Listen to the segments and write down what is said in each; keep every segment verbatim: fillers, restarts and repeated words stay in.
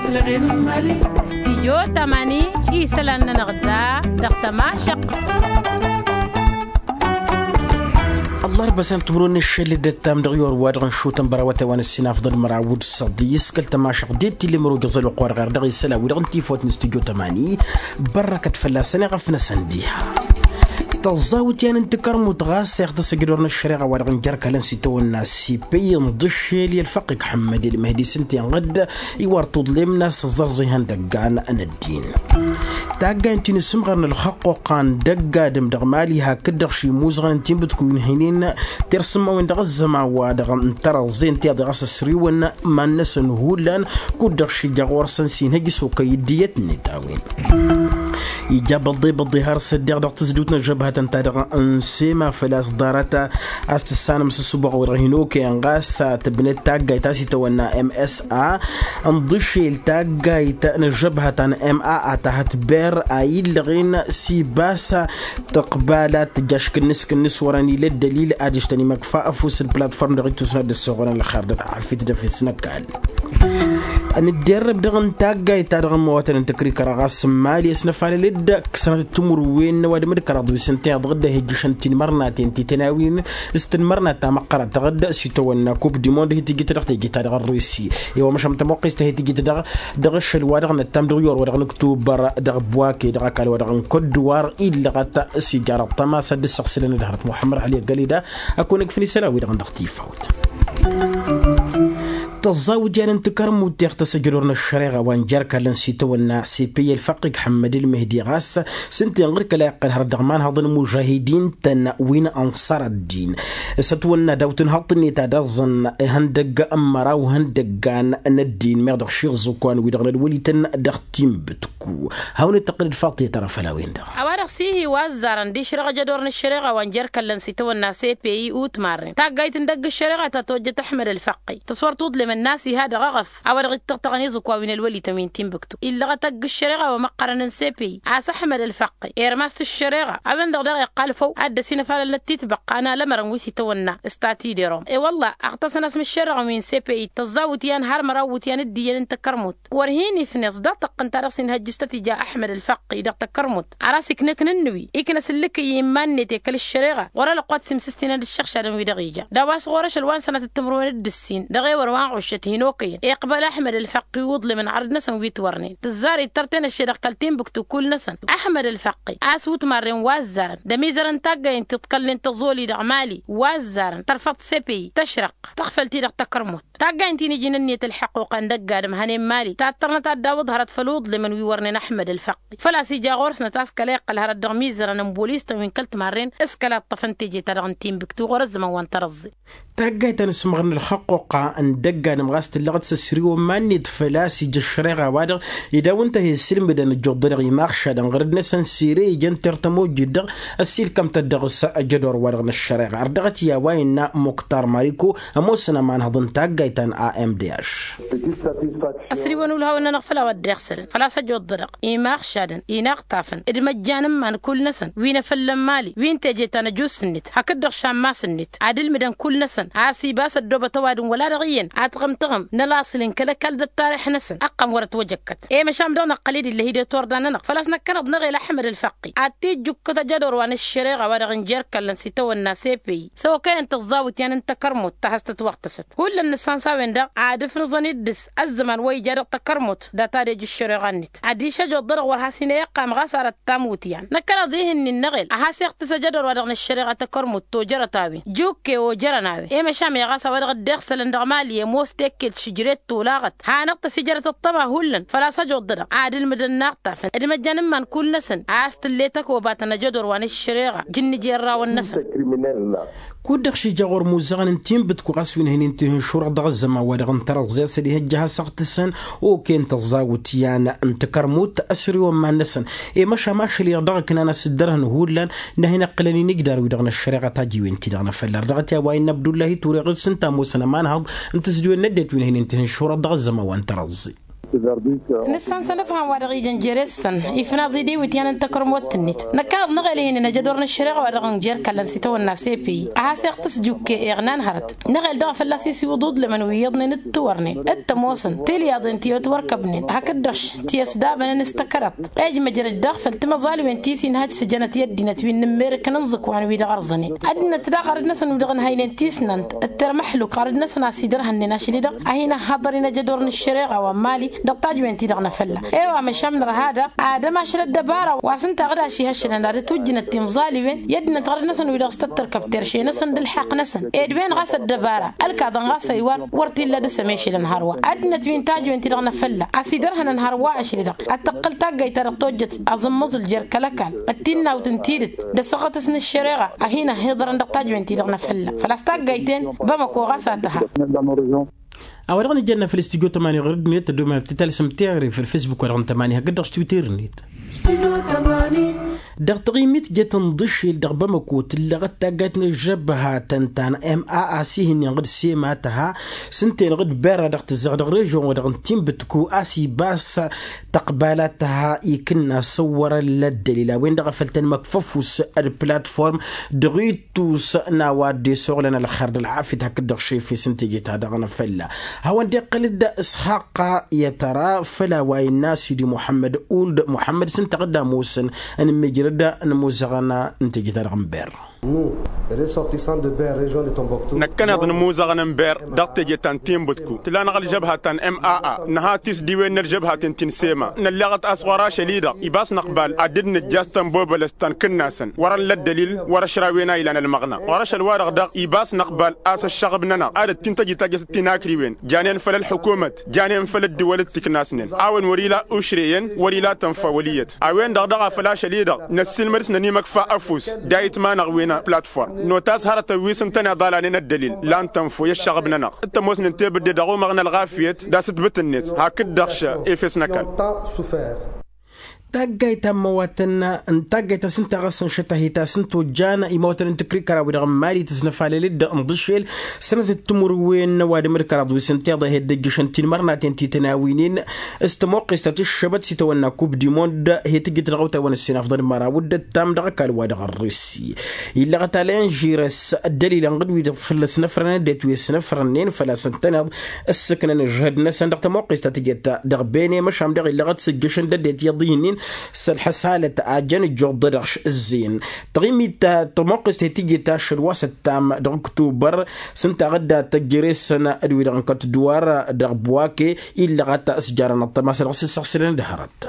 Stijyo tamani isălan-nănăɣ da dăɣ-tămašăq. Ăllarba s-an timǝrwen n-ašăl d-ăttam dăɣ-i orwa dăɣ-nǝšutăn bărawătay wa n-ǝssin afḍăn măraw d-săḍi s-kăl-tămašăq d-e-t-ille mărog iẓăl oqor ɣer dăɣ-isălan wi-dăɣ n-tifawt n-stijyo tamani. Bărrăkăt fălla-săn iɣăf n-asăn diha. Tăẓẓawǝt i-an n-tikărmut ɣas iɣtăs ajădor n-ăššăreɣa wa dăɣ-n jer-kălăn s-itawănna s-ipăy n-ḍǝššel i-ălfăqqig ḥămmăd i-ălmăhdi s-ǝnta inɣăd iwar tuḍlem n-a-s ăẓẓărẓ ihăndăggan n-ăddin. Taggayt n-ti n-isǝmɣăr n-ălxăqqoqqa n-dăgg-adǝm dăɣ-mali hakd-dăɣ šimuzăɣăn n-tinbǝtku inhǝynen tirsǝmmawen dăɣ-ăzzăman wa dăɣ-n tărăẓẓe ǝnta iḍeɣ a-s ăsriwăn iman-năsăn hullan kud-dăɣ šija ɣur-săn s-inhăj s-okăy dd-iyyăt-net a-wen. Ija băḍḍe-băḍḍe har s-ăddiɣ dăɣ-tǝzdǝwt n-ăžžăbhătăn-ta-dăɣ n-sema făl-a-s ḍarăt a-s tǝssanăm s-ăssuboɣ-wi-dăɣ hin-okăyăn ɣas tǝbnăt taggayt a-s itawănna msa n-ḍǝšel taggayt n-ăžžăbhăt ta n-ma a tahăt ber a illăɣen s-ibas tǝqbal ad-tǝjj aškǝnnǝs-kǝnnǝs wărăn ila ăddălil ad-ǝštăn imăkfa ăfuss n-platform dăɣ-itusna dd-ăssoɣănăn ălxer d-ătɣafit d-efes n-ăkall. Nǝdderrăb dăɣ-n taggayt-ta-dăɣ n-imăwatăn n-tăkrikăra ɣas n-mali ăsnăfalăl-dd ǝksănăt timǝrwen n-ăwadǝm d-kăraḍ wi s-ǝnta iḍăɣ dd-ehǝjjǝšăn tinmărnaten ti tăn-awin s-tinmărnat ta măqqărăt dăɣ-dd s-itawănna kup dimond hi-tǝjjǝt dăɣ-teje-ta-dăɣ ărrusi i-wa măšan tămoqqest a hi-tǝjjǝt dăɣ-ašăl wa dăɣ-năttam dăɣ-iwăr wa dăɣ-nǝktubăr dăɣ-ăbwake dăɣ-ăkall wa dăɣ-n kădduwar illăɣăt s-ijarăḍ tămasa dd-săɣsǝlăn d-hărăt muḥămmăd ăli ăggălida. Ăkun ǝgfǝn isălan-wi-dăɣ dăɣ-tifawt. Tăẓẓawǝt i-ad-ǝntǝkărmut iɣtăs ajădor n-ăššăreɣa wa n-jer-kălăn s-itawănna s-epey ălfăqqig ḥămmăd ǝlmehdi ɣas s-ǝnta inɣăr kăla iqqăl hărăt dăɣ-imanhăḍăn imužahidin-tăn wi n-ănṣăr ăddin s-ătwănna daw-tǝnhăḍt-net ad-ăẓẓăn ihăndăgg n-măraw ihăndăggan n-ăddin meɣ dăɣ-šiẓǝkwan wi-dăɣ n-ălwălităn dăɣ-tinbǝtku. Hawăn-dd-tăqqǝlăd faḍt i-tărăfăl a-wen-dăɣ. A-wa-dăɣ s-ihi wa ăzzarăn d-išrăɣ ajădor n-ăššăreɣa wa n-jer-kăllăn s-itawănna s-epey utmarren taggayt n-dăgg ăššăreɣa ta tojjăt ăḥmăd ălfăqqi tăswăr tuḍlem ănnas iha dăɣ-eɣăf a-wa dăɣ-ittăɣtăɣăn iẓǝkwa wi n-ălwălităn wi n-tinbǝktu illăɣăt ăgg ăššăreɣa wa măqqărăn n-sepey a-s ăḥmăd ălfăqqi irmast ăššăreɣa a-wen-dăɣ daɣ iqqal făw ad-dd-ăsinăfalălnăt titbăqqa n-alămărăn wi s-itawănna s-tatidărăm i-wălla ăɣtăsăn asm ăššăreɣa wi n-sepey tăẓẓawǝt i-an har măraw iwǝtyan d-iyyăn n-takărmut wăr hin-ifnes dăɣ-tăqqǝnt-ta-dăɣ s-inhăjjǝs tăt-ija ăḥmăd ălfăqqi dăɣ-takărmut ar a-s iknăknăn n-wi iknăs ǝllǝkǝy i-iman-net i-kăl-ăššăreɣa ɣur-ălăqqu ad-simsǝstǝnăn d-ǝššăɣšadăn wi-dăɣ ija d-a-wa s-ɣur-ašăl wa n-sănatăt timǝrwen d-ǝssin dăɣ-ewăn wa n-ɣuššăt hin-okăyăn iqbăl ăḥmăd ălfăqqi uḍlem n-ɣărăt-năsăn wi t-wărnen tǝzzar ittăr tenăšše dăɣ-kăl-tinbǝktu kull-năsăn ăḥmăd ălfăqqi a-s utmarren wa ăzzarăn d-ămizărăn taggay n-tiḍkălnen tăẓoli dăɣ-mali wa ăzzarăn tărfăḍt sepeyi tăšrăqq tăɣfăl-t-i dăɣ-takărmut. Taggay n-tinǝjǝn ǝnniyăt ălḥăqquqa n-dăgg-adǝm hănen mali tattărnăt ad-dawǝḍ hărăt făll-uḍlem n-wi wărnen ăḥmăd ălfăqqi făl-a-s ija ɣur-snăt a-s kăla iqqăl hărăt dăɣ-imizărăn n-bolistăn wi n-kăl-timarren s-kăla iṭṭăfăn teje-ta-dăɣ n-tinbǝktu ɣur-ăzzăman wa n-tărăẓẓe. Taggayt ta n-asǝmɣăr n-ălxăqquqa n-dăgg-adǝm ɣas tǝllăɣăt s-ăsriwăn iman-net făl-a-s ija ăššăreɣa-wa-dăɣ ed a-wăn tăhesǝlmǝdăn ăjjuḍălăɣ imaɣšadăn ɣăr-dd-năsăn sere ijăn tertăm ojjed-dăɣ ăssiilkăm-tăt dăɣ-s ajădor-wa-dăɣ n-ăššăreɣa ar dăɣ-t i-a-wa innă muktar mariko ămoosăn ămanhăḍ n-taggayt ta n-amdh. Ăsriwăn ulhawăn-nănăɣ făll-a-wa dd-iɣsălăn făl-a-s ăjjuḍălăɣ imaɣšadăn inaɣtafăn d-imăjjan n-iman kull-năsăn wi n-efăllăn mali wi n-teje ta n-ăjus-net hakd-dăɣ šammas-net ad-ǝlmǝdăn kull-năsăn a-s ibas ăddoobăt ăwadǝm wăla dăɣ-iyyăn ad-tɣǝm-tɣǝm n-ălaṣǝl n-kăl-ăkall d-ăttarix-năsăn ăqqăm wăr-ătwăjăkkăt i-măšan dăɣ-năqqăl-dd ill'-e hi-dd-oturda-nănăɣ făl-a-s năkkăneḍ-năɣ el ăḥmăd ălfăqqi ad-t-ijjukkăt ajădor wa n-ăššăreɣa wa dăɣ-n jer-kăllăn s-itawănna s-epey s-okăyăn tăẓẓawǝt i-an n-takărmut ta has-tătwăɣtăsăt hullan nǝssan s-a-wen-dăɣ ad-ǝfnǝẓăn-dd s-ăzzăman wa ija dăɣ-takărmut data d-ej ăššăreɣa-net adiš ăjoḍ-dăɣ wăr has-inăyăqqam ɣas arăt tamut i-an năkkăneḍ-i ihǝnnin-năɣ el ad-has-iɣtǝs ajădor wa dăɣ-năššăreɣa takărmut tojărăt a-wen jukke ojărăn a-wen i-măšan meɣ ɣas a-wa dăɣ-dd-iɣsălăn dăɣ-mali ămoos tekkelt šǝjret tolaɣăt hanăɣ-tăsijărăt ăṭṭăma hullan făl-a-s ăjoḍ-dăɣ ad-ǝlmǝdăn inaɣtafen d-imăjjan n-iman kull-năsăn a-s tǝllet ăkobăt n-ajădor wa n-ăššăreɣa jǝnnǝj i-ărrawăn-năsăn. Kud-dăɣ šija ɣur-imuzăɣăn n-tinbǝtku ɣas wi n-hănen tihǝnšurăɣ dăɣ-ăzzăman-wa-dăɣ n-tărăẓẓe a-s ădihăjja ad-has-ăɣtǝsăn okăyăn tăẓẓawǝt i-an n-takărmut ăsriwăn iman-năsăn i-măšan ašăl-i-dăɣ dăɣ-ǝknan a-s dd-ărhăn hullan n-ad-hin-ǝqqǝlăn inǝjdar-wi-dăɣ n-ăššăreɣa tajǝwen-ti-dăɣ n-afălla ar dăɣ-t i-a-wa innă abdullahi ture ɣǝr-s ǝnta ămoosăn ămanhăḍ n-tǝzdiwen n-ăddinăt wi n-hănen tihǝnšurăɣ dăɣ-ăzzăman wa n-tărăẓẓe. Nǝssan s-anǝfham wa dăɣ-ijăn jere-săn ifnaẓ-i d-iwǝtyan n-takărmot-net. Năkk a-dăɣ năɣel ihinăn ajădor n-ăššăreɣa wa dăɣ-nǝjjer kallăn s-itawănna s-e p i a has-iɣtǝs jukke iɣnan hărăt. Năɣel daɣ fălla-s isiwǝḍ uḍlǝmăn wi iyyăḍnen d-tiwărnen d-tămoosăn tilyaḍen ti otwărkăbnen hakd-dăɣ tiyăsdabănăn s-tăkăraḍt. Ejmăjrăd daɣ făll-timăẓalwen ti s-inhăj s-jănăt i-ăddinăt wi n-immerǝk n-inẓǝkwan wi-dăɣ ărẓănen ăddinăt daɣ ɣărăd-năsăn wi-dăɣ ǝnhăynen tisnant d-termăxluk ɣărăd-năsăn a-s idărhănnen ašli-dăɣ a hin-ăhhaḍăr-in ajădor n-ăššăreɣa wa n-mali dăɣ-tajwen-ti-dăɣ n-afălla. E-wa măšan nărha daɣ ad-ămašăl ăddăbara wa s-ǝnta ɣǝd a-s ihăššălăn ad-ătwǝjjǝnăt tinẓaliwen i-ăddinăt ɣărăd-năsăn wi-dăɣ s-tăttărkăb terše-năsăn d-ǝlḥaqq-năsăn ed wen ɣas ăddăbara ălkaḍăn ɣas ăywar wăr t-illa dăr-s ămešălăn hărwa. Ăddinăt wi n-tajwen-ti-dăɣ n-afălla a-s idărhănăn hărwa ašli-dăɣ ad-tăqqǝl taggayt ta dăɣ-tojjăt aẓǝmmǝẓǝl jer-kăl-ăkall d-tinnawt n-tidǝt d-asăɣătăs n-ăššăreɣa a hin-ăhhiḍărăn dăɣ-tajwen-ti-dăɣ n-afălla făl-a-s taggayt-en bamăko ɣas a tǝha. A-wa dăɣ-nǝjănna făll-studyo tămani ɣur-ăddinăt tăddomalt tǝtalsăm teɣăre făll-facebook wa dăɣ-n tămani hakd-dăɣ s-twitter-net. Dăɣ-taɣimit jet n-iḍǝšel dăɣ-bamăko tǝllăɣăt taggayt n-ăžžăbha tăn-ta n-ma a-s ih'-ǝnnin ɣǝd sema tăha s-ǝnta-en ɣǝd berra dăɣ-tǝzzăɣ dăɣ-režion wa dăɣ-n tinbǝtku a-s ibas tăqbal ad-tăha ikǝnna s-ǝwwărăn la ăddălil a-wen dăɣ-a făl tăn-măkf ăfuss d-platform dăɣ-ittus n-a-wa dd-esoɣlăn ălxer d-ălɣafyăt hakd-dăɣ šefes n-teje-ta-dăɣ n-afălla. Hawăn-dd-iqqăl-dd s-haqqa i-tăra făll-a-wa innă sidi muḥămmăd uld muḥămmăd s-ǝnta ɣǝd a ămoosăn ănǝmmijrăd n-imuzăɣăn n-teje-ta-dăɣ n-berr. Năkkăneḍ n-imuzăɣăn n-berr dăɣ-teje ta n-tinbǝtku tǝla-năɣ ălžăbha ta n-ma a nǝha tisdiwen n-ălžăbhaten ti n-sema nălleɣăt a-s ɣur-ašăl-i-dăɣ ibas năqbal ad-dd-nǝjja s-tănbobălăst ta n-kǝnnasăn wăr-ălla ăddălil wăr-ăšrawen a ilan ălmăɣna ɣur-ašăl-wa-dăɣ daɣ ibas năqbal a-s ăššăɣb-nănăɣ ad-ăttin tăjjǝt ajjăt ăttinakriwen janen făll-ălḥukumăt janen făll-ăddǝwăl d-tiknasnen a-wen wăr-ila ušre-en wăr-ila tănfa wăl' iyyăt. A-wen-dăɣ daɣ a făl ašăl-i-dăɣ năssiilmăd s-nănimăkfa ăfuss d-ayǝtma-năɣ wi n-platform notas hărătăn wi s-ǝntăneḍ a lanen ăddălil lan tănfo i-ăššăɣb-nănăɣ d-tămoosnen tebǝdde dăɣ-umăɣna ălɣafyăt d-asǝtbǝt-net hakd-dăɣ efes n-ăkall. Taggayt ta n-măwatăn n-taggayt ta s-ǝnta ɣas ănšăt a hi-tasǝntojjan imawatăn n-tǝkrikăra-wi-dăɣ n-mali tǝznăfalăl-dd n-iḍǝšel sănătăt timǝrwen n-ăwadǝm d-kăraḍ wi s-ǝnta iḍa heddăjjăšăn tinmărnaten ti tăn-awǝynen s-tămoqqest ta tǝššăbăt s-itawănna kub di mond he-tǝjjǝt dăɣ-awtay wa n-ǝssin afḍăn măraw d-ăttam dăɣ-ăkall wa dăɣ-ărrǝssi. Illăɣăt alăyăn žirăs ăddălilăn ɣǝd-wi-dăɣ fălla-s năfrănăn ăddinăt wi s-năfrănnen făl-a-s ǝntăneḍ ǝssǝknăn ǝžhăd-năsăn dăɣ-tămoqqest ta tǝjăt dăɣ-bene măšan dăɣ-illăɣăt sǝjjăšăn d-ăddinăt iyyăḍ ihǝnnin s-ălḥăsalăt a jăn ǝjjuḍ-dăɣ ǝzzǝyăn. Taɣimit ta tămoqqest he-tǝjăt ašăl wa s-ăttam dăɣ-ǝktubăr s-ǝnta ɣǝdda tăjjăresăn d-wi-dăɣ n-kăt-ǝdduwar dăɣ-bwake illăɣăt s-jarăn ăṭṭăma s-dăɣ-s ǝssăɣsǝlăn d-hărăt.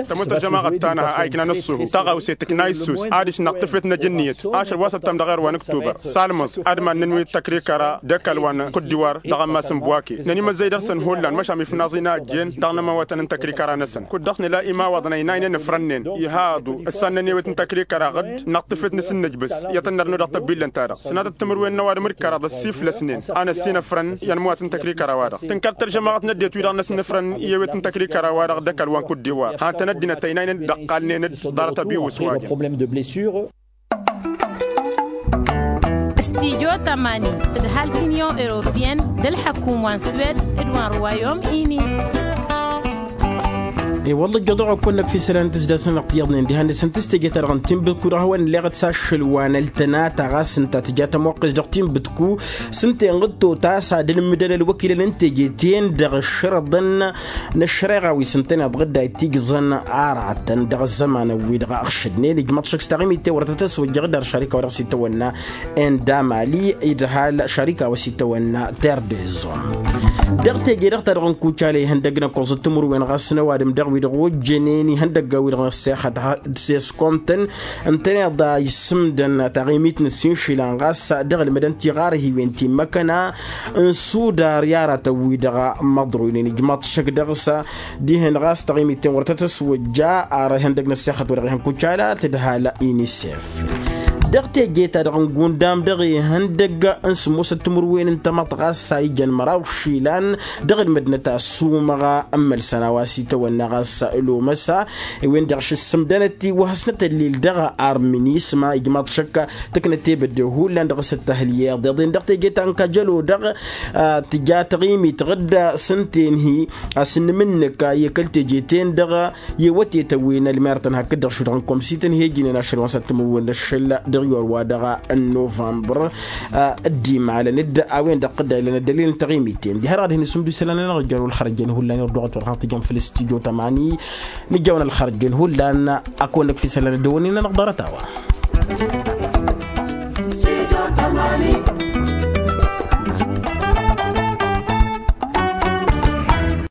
Tămoos ălžămaɣăt ta nǝha a iknan ǝṣṣuhu taɣawse tǝkna issus adiš năɣtǝfet n-ajǝnniyăt ašăl wa s-ăttam dăɣ-err wa n-ǝktubăr s-almăẓ ad-mannăn wi n-tăkrikăra d-ăkall wa n-kuddiwar dăɣ-ammas n-bwake nănimăzzăy dăɣ-săn hullan măšan ifnaẓ-in a ăjjeen dăɣ-inămawătăn n-tăkrikăra-năsăn kud-dăɣ s-nǝla imawăḍăn ăynaynen ǝfrănnen ihaḍu ǝssan n-ănewet n-tăkrikăra ɣǝd năɣtǝfet n-asǝnnǝjbǝs i-ad-tăn-nărnu dăɣ-tăbbillăn-ta-dăɣ sănatăt timǝrwen n-ăwadǝm d-kăraḍ ăssiflăsnen a năssinăfrăn i-ănmăwat n-tăkrikăra-wa-dăɣ tǝnkăr tălžămaɣăt n-ăddinăt wi-dăɣ năsnǝfrăn i-ewet n-tăkrikăra-wa-dăɣ d-ăkall wa n-kuddiwar hantăn ăddinăt ăynaynen d-ăqqalnen-dd ḍarăt ăbiwǝs wa-dăɣ. Studyo tămani d-ăhalk union europeyăn d-ălḥăkum wa n-swed d-wa n-ruwayom ini. I-wălla ăjjoḍăɣ-okko-năk f-isălan tǝzdas-nănăɣ tiyyăḍnen dihen-dăɣ s-ǝnta s-teje-ta-dăɣ n-tinbǝtku dăɣ-hawăn-illeɣăt s-ašăl wa n-ăltăna ta ɣas ǝnta tǝja tămoqqes dăɣ-tinbǝtku s-ǝnta-en ɣǝd totas ad-ǝlmǝdăn ălwăkilăn n-teje-ten dăɣ-ǝššărăḍăn n-ăššăreɣa wi s-ǝntăneḍ ɣǝdda itijẓăn aratăn dăɣ-ăzzămanăn-wi-dăɣ ăɣšădnen ijmăḍ šăkk s-taɣimit tewărătăt ăswăjjăɣ d-ar šarika wa dăɣ-s itawănna enda mali idhal šarika wa s-itawănna terr dezon. Dăɣ-teje-dăɣ ta dăɣ-nǝkucal ihăndăg n-ăkkoẓăt timǝrwen ɣas n-ăwadǝm dăɣ-wi-dăɣ ojjănen ihăndăggan wi-dăɣ n-ăssexăt s-eskomtăn ǝntăneḍ a issǝmdăn taɣimit n-ǝssinšilan ɣas dăɣ-ǝlmǝdăn tiɣarhiwen ti n-măkăna n-sudar i-aratăn-wi-dăɣ măḍruynen ijmaḍ šăk dăɣ-s dihen ɣas taɣimit-ten wăr tăt-ăswăjja ar ihăndăg n-ăssexăt wa dăɣ-ihăn kucala tǝdhal inisef. Dăɣ-teje-ta-dăɣ n-gundam dăɣ-ihăndăg n-sǝmmosăt timǝrwen n-tamăḍt ɣas a ijăn măraw išilan dăɣ-ălmădnăt a ăssumăɣ ămmălsăn a-wa s-itawănna ɣas. Lomăsa i-wen-dăɣ šǝssǝmdănăt-i wa hasnăt ăllil dăɣ-arminisma ijmaḍ šăkk tǝknăt tebădde hullan dăɣ-s ăttăhǝl i-iḍeḍen dăɣ-teje ta n-kajălo-dăɣ. Tǝja taɣimit ɣǝdda s-ǝnta enhi a-s n-imǝnnǝk i-kăl-teje-ten-dăɣ i-wătetăn wi n-ălmerătăn hakd-dăɣ šudăɣ n-komsităn hi-ejǝnen ašăl wa n-săttămăwwen n-ašăl dăɣ-iwar wa dăɣ-n novămbăr. Dd-imalăn dd-a-wen-dăɣ tǝdda ilăn ăddălil n-taɣimit-ten diha dăɣ-ad-hin-isǝmdu isălan-nănăɣ ǝjjăr wăl-xărăjăn hullan irduɣăt wăr hanăɣ-tǝjăm făll-s tijo tămani. Nǝjjăwăn ălxărăjăn hullan. Ad-kăwăn-năkf isălan ăddăwănnin-nănăɣ ḍarăt-a-wa.